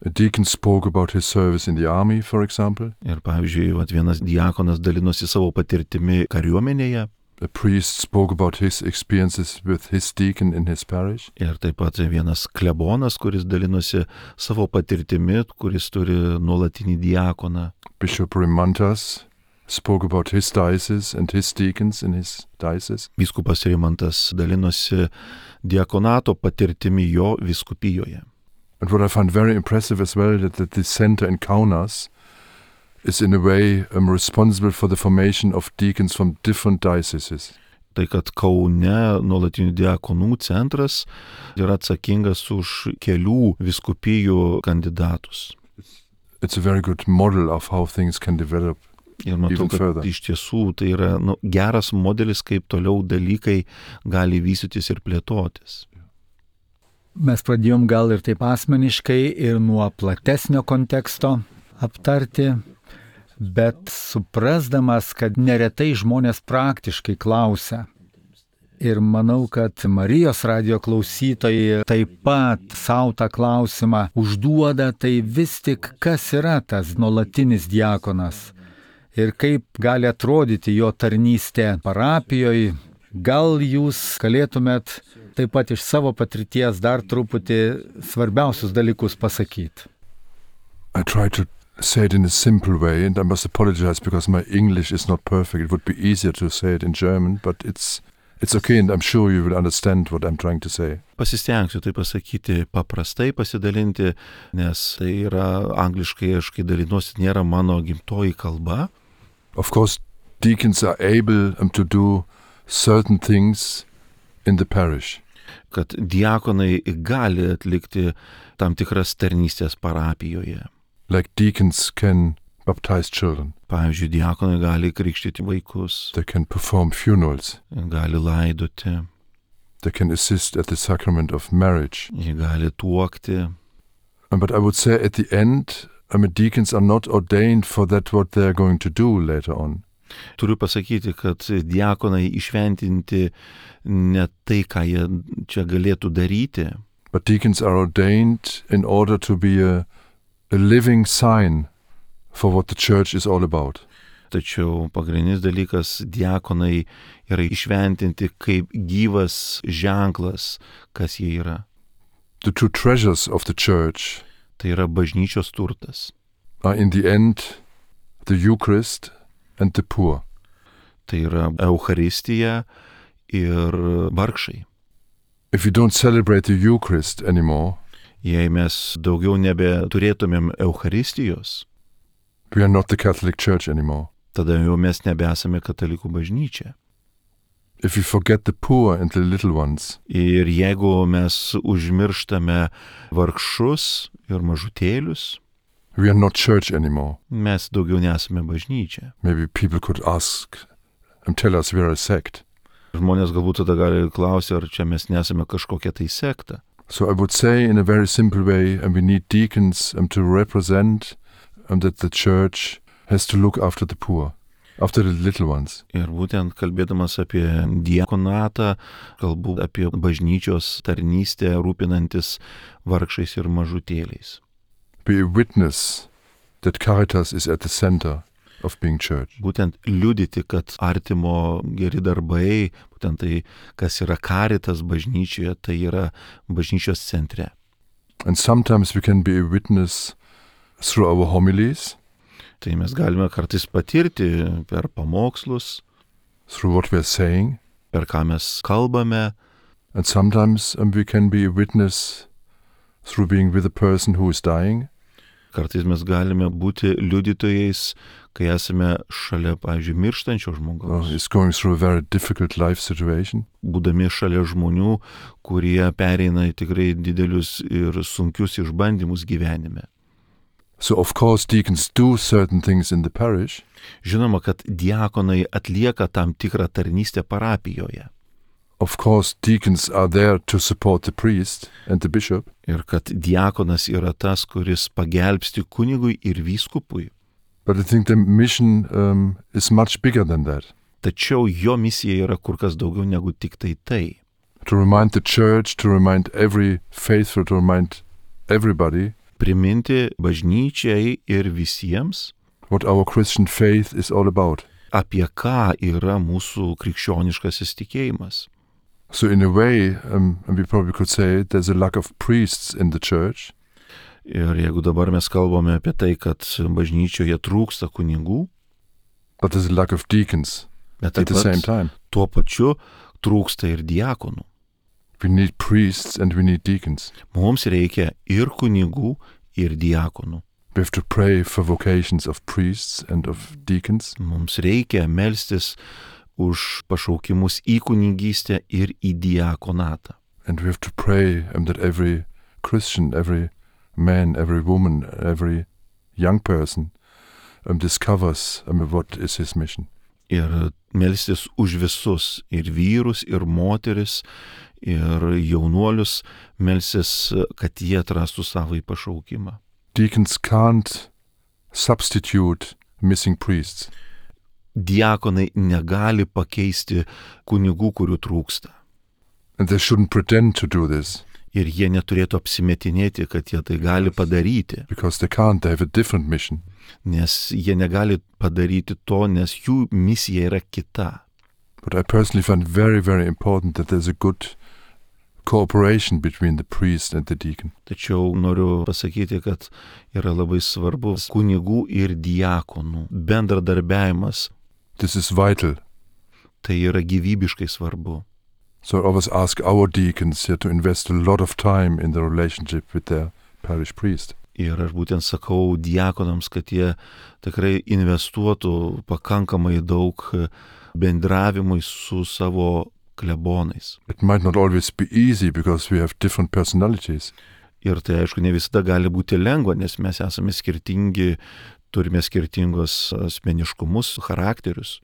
A deacon spoke about his service in the army, for example. Ir pavyzdžiui, vienas diakonas dalinosi savo patirtimi kariuomenėje. A priest spoke about his experiences with his deacon in his parish. Ir taip pat vienas klebonas, kuris dalinosi savo patirtimi, kuris turi nuolatinį diakoną. Bishop Rimantas spoke about his diocese and his deacons in his diocese. Vyskupas Rimantas dalinosi diakonato patirtimi jo vyskupijoje. And what I find very impressive as well, that the center in Kaunas is in a way responsible for the formation of deacons from different dioceses. Tai kad Kaune nuolatinių diakonų centras yra atsakingas už kelių vyskupijų kandidatus. It's a very good model of how things can develop. Ir matau, kad iš tiesų tai yra geras modelis, kaip toliau dalykai gali vystytis ir plėtotis. Mes pradėjom gal ir taip asmeniškai ir nuo platesnio konteksto aptarti, bet suprasdamas, kad neretai žmonės praktiškai klausia. Ir manau, kad Marijos radijo klausytojai taip pat savo tą klausimą užduoda, tai vis tik kas yra tas nuolatinis diakonas ir kaip gali atrodyti jo tarnystė parapijoje. Gal jūs galėtumėt taip pat iš savo patirties dar truputį svarbiausius dalykus pasakyti? I try to say it in a simple way, and I must apologize because my English is not perfect. It would be easier to say it in German, but it's okay, and I'm sure you will understand what I'm trying to say. Pasistengsiu tai pasakyti paprastai, pasidalinti, nes tai yra angliškai, aš kai dalinuosi, nėra mano gimtoji kalba. Of course, deacons are able to do certain things in the parish. Kad diakonai gali atlikti tam tikras tarnystės parapijoje. Like deacons can baptize children. Pavyzdžiui, diakonai gali krikštyti vaikus. They can perform funerals. Gali laidoti. They can assist at the sacrament of marriage. Jie gali tuokti. But I would say at the end, deacons are not ordained for that what they are going to do later on. Turiu pasakyti, kad diakonai išventinti ne tai, ką jie čia galėtų daryti. But deacons are ordained in order to be a living sign for what the church is all about. Tačiau pagrindinis dalykas, diakonai yra išventinti kaip gyvas ženklas, kas jie yra. The two treasures of the church tai yra bažnyčios turtas. Are in the end the Eucharist and the poor. Tai yra Eucharistija ir vargšai. If we don't celebrate the Eucharist anymore, jei mes daugiau nebeturėtumėm Eucharistijos, we are not the Catholic Church anymore. Tada jau mes nebesame katalikų bažnyčia. If we forget the poor and the little ones, ir jeigu mes užmirštame vargšus ir mažutėlius, we are not church anymore. Mes daugiau nesame bažnyčia. Maybe people could ask and tell us we are a sect. Žmonės galbūt tada gali klausti, ar čia mes nesame kažkokia tai sekta. So I would say in a very simple way, and we need deacons to represent that the church has to look after the poor, after the little ones. Ir būtent kalbėdamas apie diakonatą, kalbu apie bažnyčios tarnystę, rūpinantis vargšais ir mažutėliais. Be a witness that Caritas is at the center of being church. Būtent liudyti, kad artimo geri darbai, būtent tai, kas yra Caritas bažnyčioje, tai yra bažnyčios centre. And sometimes we can be a witness through our homilies. Tai mes galime kartais patirti per pamokslus, through what we are saying, per ką mes kalbame. And sometimes we can be a witness through being with a person who is dying. Kartais mes galime būti liudytojais, kai esame šalia, pavyzdžiui, mirštančio žmogaus. Is going through a very difficult life situation. Būdami šalia žmonių, kurie pereina į tikrai didelius ir sunkius išbandymus gyvenime. So of course deacons do certain things in the parish. Žinoma, kad diakonai atlieka tam tikrą tarnystę parapijoje. Of course deacons are there to support the priest and the bishop. Ir kad diakonas yra tas, kuris pagelbsti kunigui ir vyskupui. But I think the mission is much bigger than that. Tačiau jo misija yra kur kas daugiau negu tik tai. To remind the church, to remind every faithful, to remind everybody Priminti bažnyčiai ir visiems, what our Christian faith is all about. apie ką yra mūsų krikščioniškasis tikėjimas. So in a way, and we probably could say, there's a lack of priests in the church. Ir jeigu dabar mes kalbame apie tai, kad bažnyčioje trūksta kunigų, But there's a lack of deacons bet at taip the same pat time. tuo pačiu trūksta ir diakonų. We need priests and we need deacons. Mums reikia ir kunigų, ir diakonų. We have to pray for vocations of priests and of deacons. Mums reikia melstis už pašaukimus į kunigystę ir į diakonatą. And we have to pray that every Christian, every man, every woman, every young person discovers what is his mission. Ir melstis už visus, ir vyrus, ir moteris, ir jaunuolius, melstis, kad jie atrastų savo į pašaukimą. Deacons can't substitute missing priests. Diakonai negali pakeisti kunigų, kurių trūksta. And they shouldn't pretend to do this. Ir jie neturėtų apsimetinėti, kad jie tai gali padaryti, Because they can't, they have a different mission. nes jie negali padaryti to, nes jų misija yra kita. But I personally find very, very important that there's a good cooperation between the priest and the deacon. Tačiau noriu pasakyti, kad yra labai svarbus kunigų ir diakonų bendradarbiavimas. This is vital. Tai yra gyvybiškai svarbu. So I always ask our deacons here to invest a lot of time in the relationship with their parish priest. Ir aš būtent sakau diakonams, kad jie tikrai investuotų pakankamai daug bendravimui su savo klebonais. It might not always be easy because we have different personalities. Ir tai aišku ne visada gali būti lengva, nes mes esame skirtingi, turime skirtingos asmeniškumus, charakterius.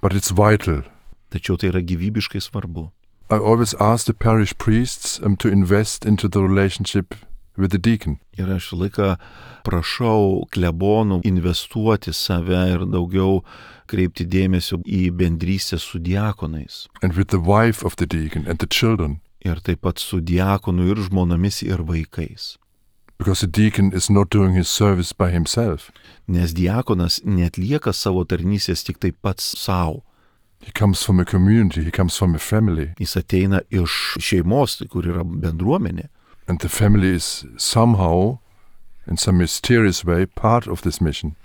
But it's vital. Tačiau tai yra gyvybiškai svarbu. I always ask the parish priests to invest into the relationship with the deacon. Ir aš laiką prašau klebonų investuoti save ir daugiau kreipti dėmesio į bendrystę su diakonais. And with the wife of the deacon and the children. Ir taip pat su diakonu ir žmonomis ir vaikais. Because the deacon is not doing his service by himself. Nes diakonas neatlieka savo tarnystės tik taip pats savo. He comes from a community, he comes from a family. Jis ateina iš šeimos, kur yra bendruomenė. And the family is somehow, in some mysterious way, part of this mission.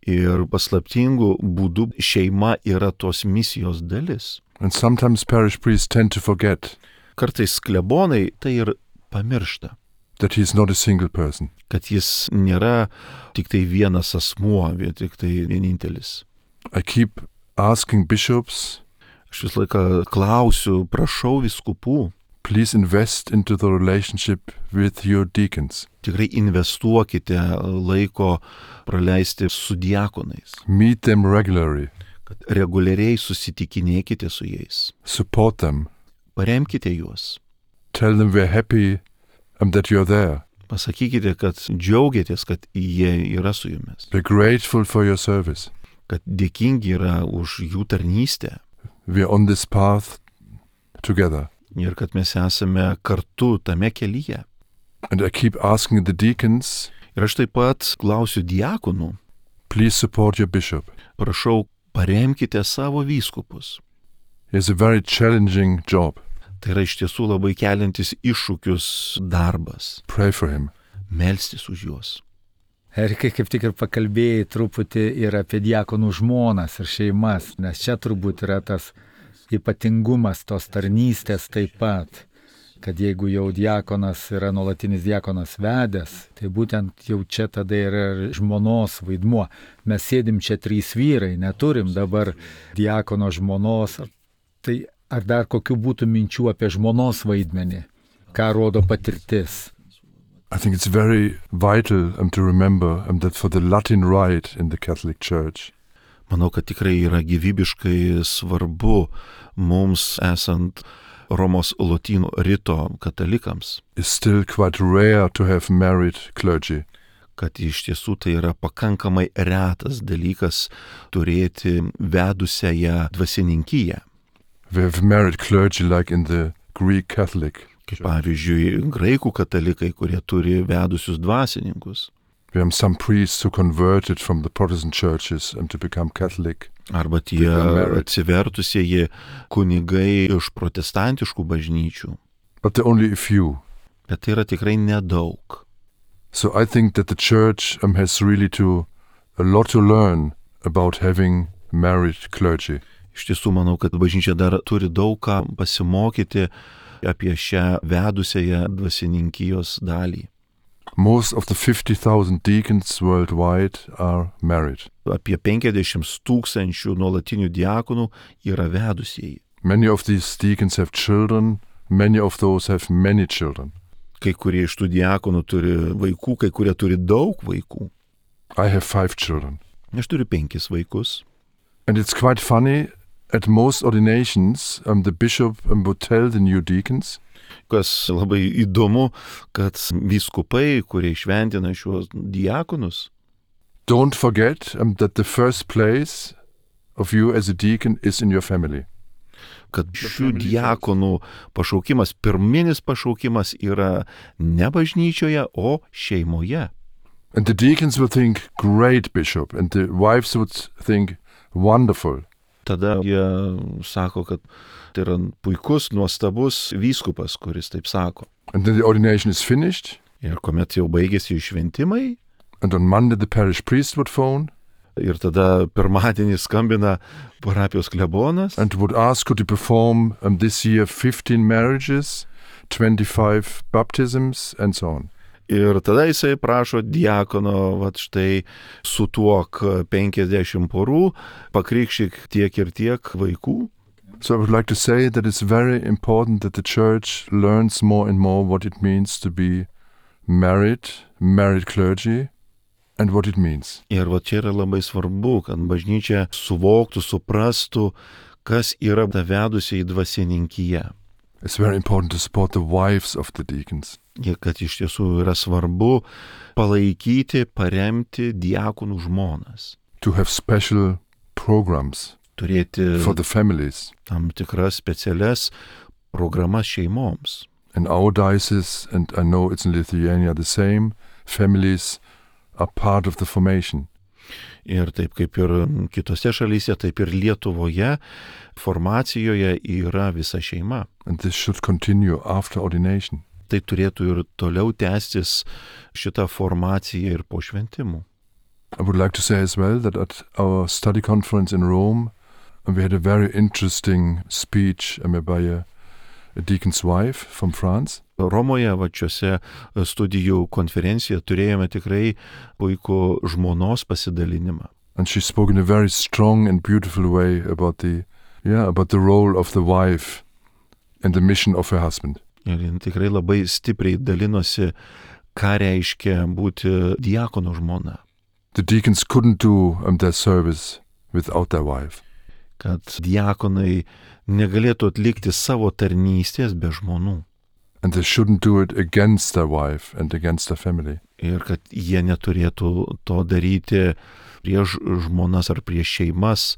Ir paslaptingų būdų šeima yra tos misijos dalis. And sometimes parish priests tend to forget Kartais klebonai tai ir pamiršta, that he is not a single person. kad jis nėra tik tai vienas asmuo, tik tai vienintelis. I keep asking bishops, Aš vis laiką klausiu, prašau vyskupų, please invest into the relationship with your deacons. tikrai investuokite laiko praleisti su diakonais, Meet them regularly, kad reguliariai susitikinėkite su jais, support them, paremkite juos, tell them we're happy that you're there. pasakykite, kad džiaugiatės, kad jie yra su jumis, We're grateful for your service. kad dėkingi yra už jų tarnystę We're on this path together. ir kad mes esame kartu tame kelyje. And I keep asking the deacons, Ir aš taip pat klausiu diakonų, please support your bishop. prašau, paremkite savo vyskupus. He has a very challenging job. Tai yra iš tiesų labai keliantis iššūkius darbas. Pray for him. Melstis už juos. Erikai, kaip tik ir pakalbėjai truputį ir apie diakonų žmonas ir šeimas, nes čia turbūt yra tas ypatingumas tos tarnystės taip pat, kad jeigu jau diakonas yra nuolatinis diakonas vedęs, tai būtent jau čia tada yra žmonos vaidmuo. Mes sėdim čia 3 vyrai, neturim dabar diakono žmonos. Tai ar dar kokių būtų minčių apie žmonos vaidmenį? Ką rodo patirtis? I think it's very vital to remember that for the Latin Rite in the Catholic Church, manau, kad tikrai yra gyvybiškai svarbu mums esant Romos lotynų rito katalikams. It's still quite rare to have married clergy. Kad iš tiesų tai yra pakankamai retas dalykas turėti vedusiąją dvasininkiją. We have married clergy like in the Greek Catholic. Kaip pavyzdžiui, graikų katalikai, kurie turi vedusius dvasininkus. We have some priests who converted from the Protestant churches to become Catholic. Arba tie atsivertusieji kunigai iš protestantiškų bažnyčių. But there are only a few. Bet tai yra tikrai nedaug. So I think that the church has really a lot to learn about having married clergy. Iš tiesų manau, kad bažnyčia dar turi daug ką pasimokyti apie šią vedusiąją dvasininkijos dalį. Most of the 50,000 deacons worldwide are married. Apie 50,000 nuolatinių diakonų yra vedusieji. Many of these deacons have children, many of those have many children. Kai kurie iš tų diakonų turi vaikų, kai kurie turi daug vaikų. I have 5 children. Aš turiu 5 vaikus. And it's quite funny, at most ordinations, the bishop would tell the new deacons, kas labai įdomu, kad vyskupai, kurie šventina šiuos diakonus, don't forget that the first place of you as a deacon is in your family. Kad šių diakonų pašaukimas, pirminis pašaukimas yra ne bažnyčioje, o šeimoje. And the deacons will think, great bishop, and the wives would think, wonderful. Tada jie sako, kad tai yra puikus, nuostabus vyskupas, kuris taip sako. And then the ordination is finished. Ir kuomet jau baigėsi šventimai. And on Monday the parish priest would phone. Ir tada pirmadienį skambina parapijos klebonas. And would ask, could you perform this year 15 marriages, 25 baptisms, and so on. Ir tada jisai prašo diakono, vat štai sutuok 50 porų, pakrikštyk tiek ir tiek vaikų. So I would like to say that it's very important that the church learns more and more what it means to be married clergy, and what it means. Ir va čia yra labai svarbu, kad bažnyčia suvoktų, suprastų, kas yra ta vedusiai dvasininkyje. It's very important to support the wives of the deacons. Ir kad iš tiesų yra svarbu palaikyti, paremti diakonų žmonas. To have special programs turėti for the families. Tam tikras specialias programas šeimoms. In our diocese, and I know it's in Lithuania the same, families are part of the formation. Ir taip kaip ir kitose šalyse, taip ir Lietuvoje formacijoje yra visa šeima. And this should continue after ordination. Tai turėtų ir toliau tęstis šitą formaciją ir po šventimų. I would like to say as well that at our study conference in Rome, we had a very interesting speech by a deacon's wife from France. Romoje, vačiuose studijų konferencijoje turėjome tikrai puikų žmonos pasidalinimą. And she spoke in a very strong and beautiful way about the role of the wife and the mission of her husband. Ir jin tikrai labai stipriai dalinosi, ką reiškia būti diakono žmona. The deacons couldn't do their service without their wife. Kad diakonai negalėtų atlikti savo tarnystės be žmonų. And they shouldn't do it against their wife and against their family. Ir kad jie neturėtų to daryti prieš žmonas ar prieš šeimas,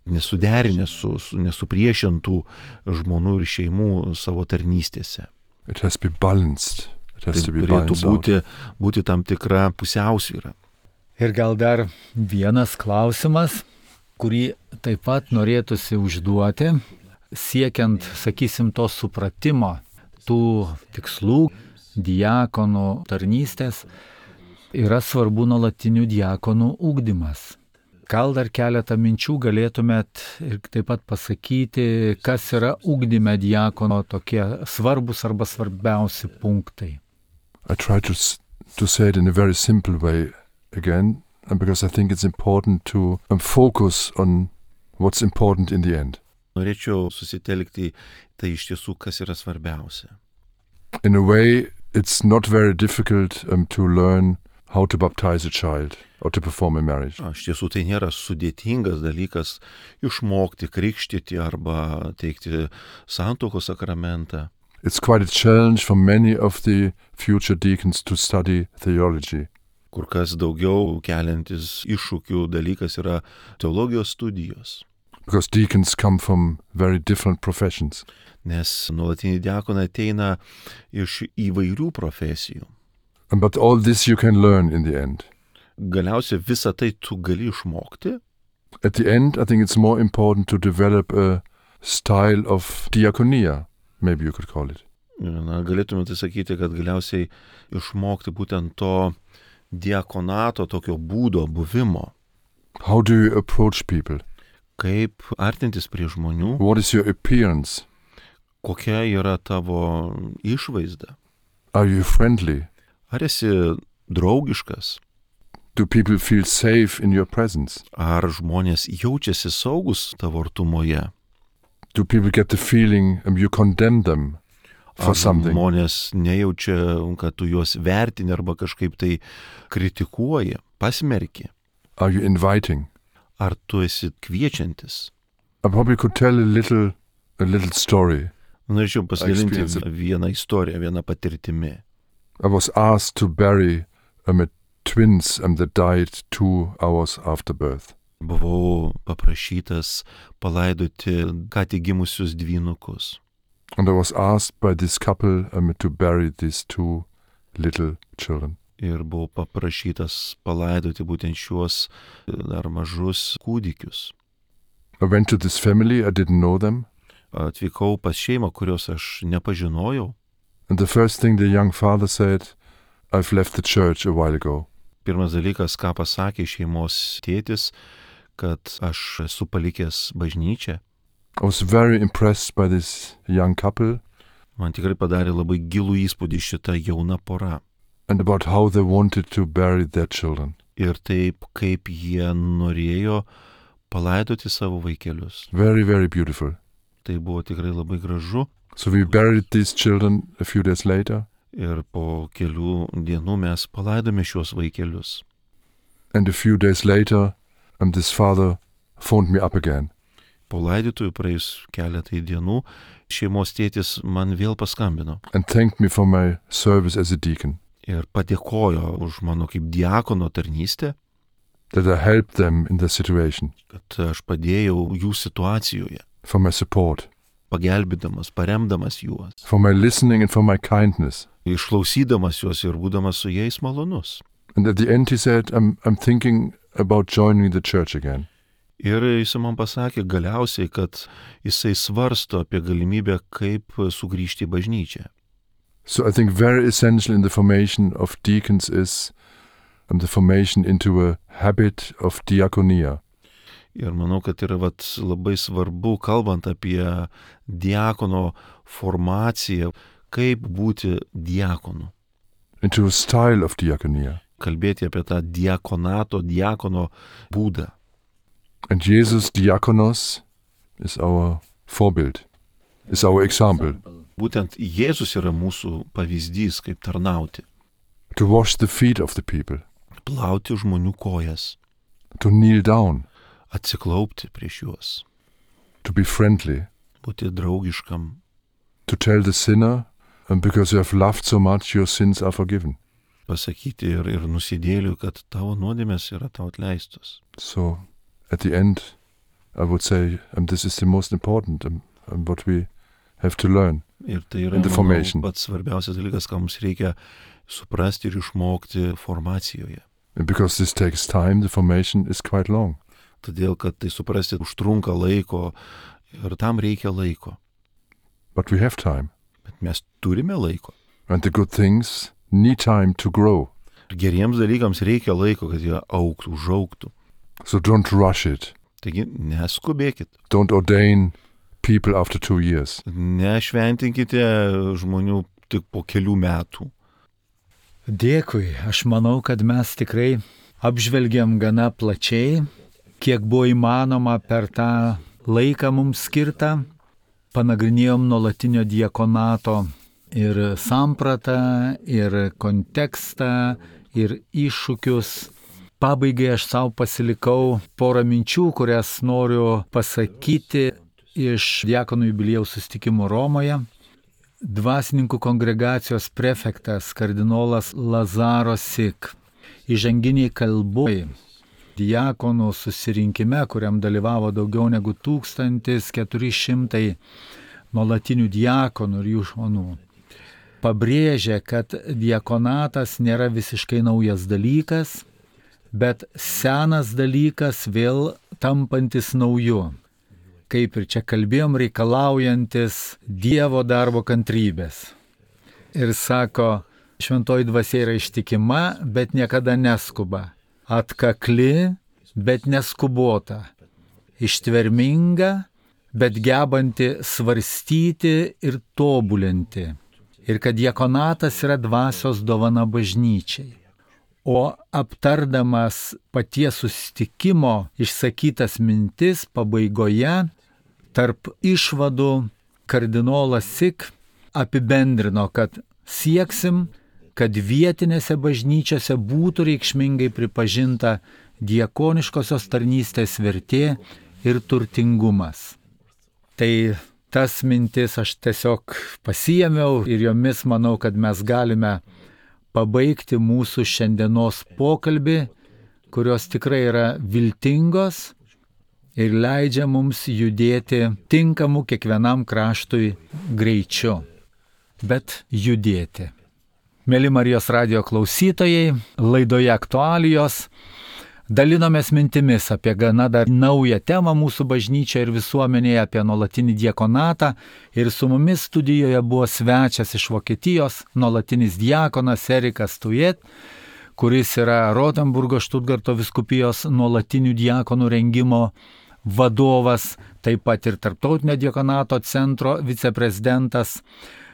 nesuderinę nesupriešintų žmonų ir šeimų savo tarnystėse. It has to be balanced. It has to be balanced. Turėtų būti tam tikra pusiausvyra. Ir gal dar vienas klausimas, kurį taip pat norėtųsi užduoti, siekiant, sakysim, to supratimo, tų tikslų, diakonų tarnystės, yra svarbu nuolatinių diakonų ugdymas. Gal dar keletą minčių galėtumėt ir taip pat pasakyti, kas yra ugdyme diakono tokie svarbus arba svarbiausi punktai. I try to say it in a very simple way again, because I think it's important to focus on what's important in the end. Norėčiau susitelkti tai iš tiesų, kas yra svarbiausia. In a way, it's not very difficult to learn how to baptize a child or to perform a marriage. Iš tiesų tai nėra sudėtingas dalykas išmokti krikštyti arba teikti santuokos sakramentą. It's quite a challenge for many of the future deacons to study theology. Kur kas daugiau keliantis iššūkių dalykas yra teologijos studijos. Because deacons come from very different professions. Nes nuolatiniai diakonai ateina iš įvairių profesijų. But all this you can learn in the end. Galiausiai visą tai tu gali išmokti. At the end, I think it's more important to develop a style of diaconia, maybe you could call it. Galėtume tai sakyti, kad galiausiai išmokti būtent to diakonato, tokio būdo, buvimo. How do you approach people? Kaip artintis prie žmonių? What is your appearance? Kokia yra tavo išvaizda? Are you friendly? Ar esi draugiškas? Do people feel safe in your presence? Ar žmonės jaučiasi saugus tavo artumoje? Do people get the feeling you condemn them for something? Ar žmonės nejaučia, kad tu juos vertini arba kažkaip tai kritikuoji, pasmerki? Are you inviting? Ar tu esi kviečiantis? I probably could tell a little story. Norėčiau pasidalinti vieną istoriją, vieną patirtimi. I was asked to bury twins that died 2 hours after birth. Buvau paprašytas palaidoti ką tik gimusius dvynukus. And I was asked by this couple to bury these 2 little children. Ir buvau paprašytas palaidoti būtent šiuos dar mažus kūdikius. I went to this family, I didn't know them. Atvykau pas šeimą, kurios aš nepažinojau. And the first thing the young father said, I've left the church a while ago. Pirmas dalykas, ką pasakė šeimos tėtis, kad aš esu palikęs bažnyčią. I was very impressed by this young couple. Man tikrai padarė labai gilų įspūdį šita jauna pora. And about how they wanted to bury their children. Ir taip, kaip jie norėjo palaidoti savo vaikelius. Very, very beautiful. Tai buvo tikrai labai gražu. So we buried these children a few days later. Ir po kelių dienų mes palaidome šios vaikelius. And a few days later, this father phoned me up again. Po laidotuvų praėjus keletai dienų, šeimos tėtis man vėl paskambino. And thanked me for my service as a deacon. Ir padėkojo už mano kaip diakono tarnystę. That I helped them in their situation. Kad aš padėjau jų situacijoje. For my support. Pagelbėdamas, paremdamas juos. For my listening and for my kindness. Išklausydamas juos ir būdamas su jais malonus. And at the end he said, I'm thinking about joining the church again. Ir jis man pasakė galiausiai, kad jisai svarsto apie galimybę, kaip sugrįžti į bažnyčią. So I think very essential in the formation of deacons is the formation into a habit of diaconia. Ir manau, kad yra labai svarbu, kalbant apie diakono formaciją, kaip būti diakonu. Into a style of diaconia. Kalbėti apie tą diakono būdą. And Jesus diakonos is our Vorbild, is our example. Būtent Jėzus yra mūsų pavyzdys, kaip tarnauti. To wash the feet of the people. Plauti žmonių kojas. To kneel down. Atsiklaupti prieš juos. To be friendly. Būti draugiškam. To tell the sinner, because you have loved so much, your sins are forgiven. Pasakyti ir nusidėliui, kad tavo nuodėmės yra tau atleistos. So, at the end, I would say, this is the most important, what we have to learn ir tai yra, in the formation. Pats svarbiausias dalykas, ką mums reikia suprasti ir išmokti formacijoje. And because this takes time, the formation is quite long. Todėl, kad tai suprasti užtrunka laiko ir tam reikia laiko. But we have time. Bet mes turime laiko. And the good things need time to grow. Ir geriems dalykams reikia laiko, kad jie augtų, užaugtų. So don't rush it. Taigi neskubėkit. Don't ordain people after 2 years. Nešventinkite žmonių tik po kelių metų. Dėkui, aš manau, kad mes tikrai apžvelgiam gana plačiai, kiek buvo įmanoma per tą laiką mums skirtą. Panagrinėjom nuolatinio diakonato ir sampratą, ir kontekstą, ir iššūkius. Pabaigai aš savo pasilikau porą minčių, kurias noriu pasakyti iš diakonų jubiliejaus susitikimo Romoje. Dvasininkų kongregacijos prefektas kardinolas Lazaro Sik įžanginiai kalboj diakonų susirinkime, kuriam dalyvavo daugiau negu 1400 nuolatinių diakonų ir jų žmonų, pabrėžė, kad diakonatas nėra visiškai naujas dalykas, bet senas dalykas vėl tampantis nauju. Kaip ir čia kalbėjom, reikalaujantis Dievo darbo kantrybės. Ir sako, šventoji dvasia yra ištikima, bet niekada neskuba. Atkakli, bet neskubota. Ištverminga, bet gebanti svarstyti ir tobulinti. Ir kad diakonatas yra dvasios dovana bažnyčiai. O aptardamas paties susitikimo išsakytas mintis pabaigoje, tarp išvadų kardinolas Sik apibendrino, kad sieksim, kad vietinėse bažnyčiose būtų reikšmingai pripažinta diakoniškosios tarnystės vertė ir turtingumas. Tai tas mintis aš tiesiog pasiėmiau ir jomis manau, kad mes galime pabaigti mūsų šiandienos pokalbį, kurios tikrai yra viltingos ir leidžia mums judėti tinkamu kiekvienam kraštui greičiu, bet judėti. Mėly Marijos radijo klausytojai, laidoje aktualijos dalinomės mintimis apie gana dar naują temą mūsų bažnyčioje ir visuomenėje, apie nuolatinį diakonatą. Ir su mumis studijoje buvo svečias iš Vokietijos, nuolatinis diakonas Erikas Tujet, kuris yra Rotenburgo Štutgarto vyskupijos nuolatinių diakonų rengimo vadovas, taip pat ir Tarptautinio diakonato centro viceprezidentas.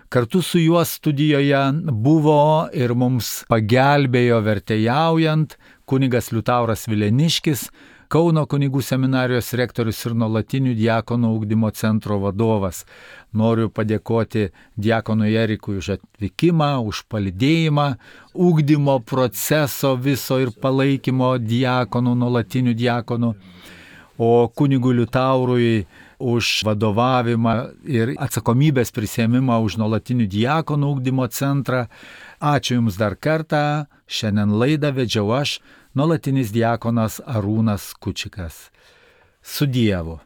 Kartu su juo studijoje buvo ir mums pagelbėjo vertėjaujant kunigas Liutauras Vileniškis, Kauno kunigų seminarijos rektorius ir nuolatinių diakonų ugdymo centro vadovas. Noriu padėkoti diakonui Erikui už atvykimą, už palydėjimą, ugdymo proceso viso ir palaikymo diakonų, nuolatinių diakonų, o kunigui Liutaurui už vadovavimą ir atsakomybės prisėmimą už nuolatinių diakonų ugdymo centrą. Ačiū Jums dar kartą. Šiandien laidą vedžiau aš, nuolatinis diakonas Arūnas Kučikas. Su Dievu.